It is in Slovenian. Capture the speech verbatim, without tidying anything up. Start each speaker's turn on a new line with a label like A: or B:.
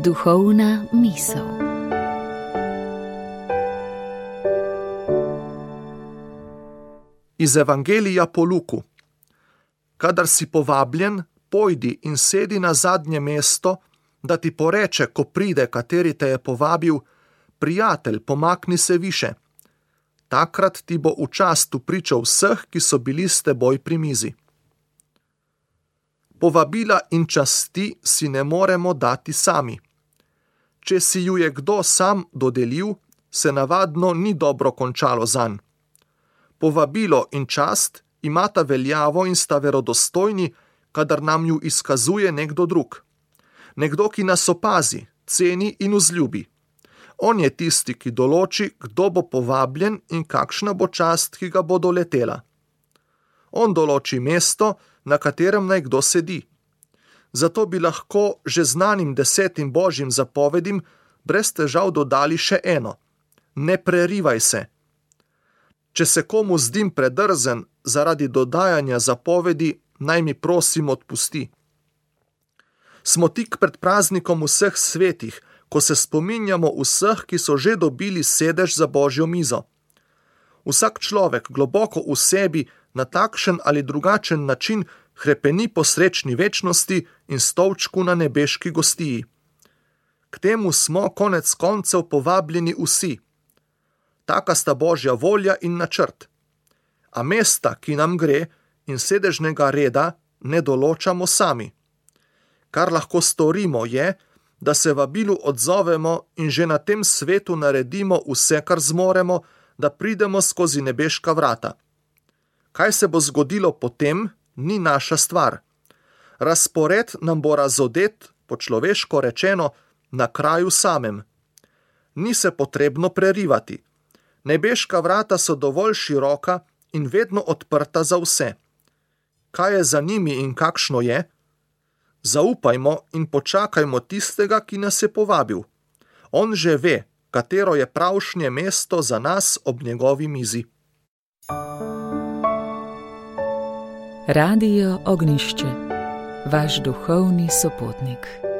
A: Duhovna misel.
B: Iz Evangelija po Luku. Kadar si povabljen, pojdi in sedi na zadnje mesto, da ti poreče, ko pride, kateri te je povabil: prijatelj, pomakni se više. Takrat ti bo v čast vpričal vseh, ki so bili s teboj pri mizi. Povabila in časti si ne moremo dati sami. Če si ju je kdo sam dodelil, se navadno ni dobro končalo zanj. Povabilo in čast imata veljavo in sta verodostojni, kadar nam ju izkazuje nekdo drug. Nekdo, ki nas opazi, ceni in vzljubi. On je tisti, ki določi, kdo bo povabljen in kakšna bo čast, ki ga bo doletela. On določi mesto, na katerem naj kdo sedi. Zato bi lahko že znanim desetim božjim zapovedim brez težav dodali še eno: ne prerivaj se. Če se komu zdim predrzen zaradi dodajanja zapovedi, naj mi prosim odpusti. Smo tik pred praznikom vseh svetih, ko se spominjamo vseh, ki so že dobili sedež za božjo mizo. Vsak človek globoko v sebi na takšen ali drugačen način hrepeni po srečni večnosti in stolčku na nebeški gostiji. K temu smo konec koncev povabljeni vsi. Taka sta božja volja in načrt. A mesta, ki nam gre, in sedežnega reda ne določamo sami. Kar lahko storimo je, da se vabilu odzovemo in že na tem svetu naredimo vse, kar zmoremo, da pridemo skozi nebeška vrata. Kaj se bo zgodilo potem, ni naša stvar. Razpored nam bo razodet, po človeško rečeno, na kraju samem. Ni se potrebno prerivati. Nebeška vrata so dovolj široka in vedno odprta za vse. Kaj je za njimi in kakšno je? Zaupajmo in počakajmo tistega, ki nas je povabil. On že ve, katero je pravšnje mesto za nas ob njegovi mizi.
A: Radio Ognjišče, vaš duhovni sopotnik.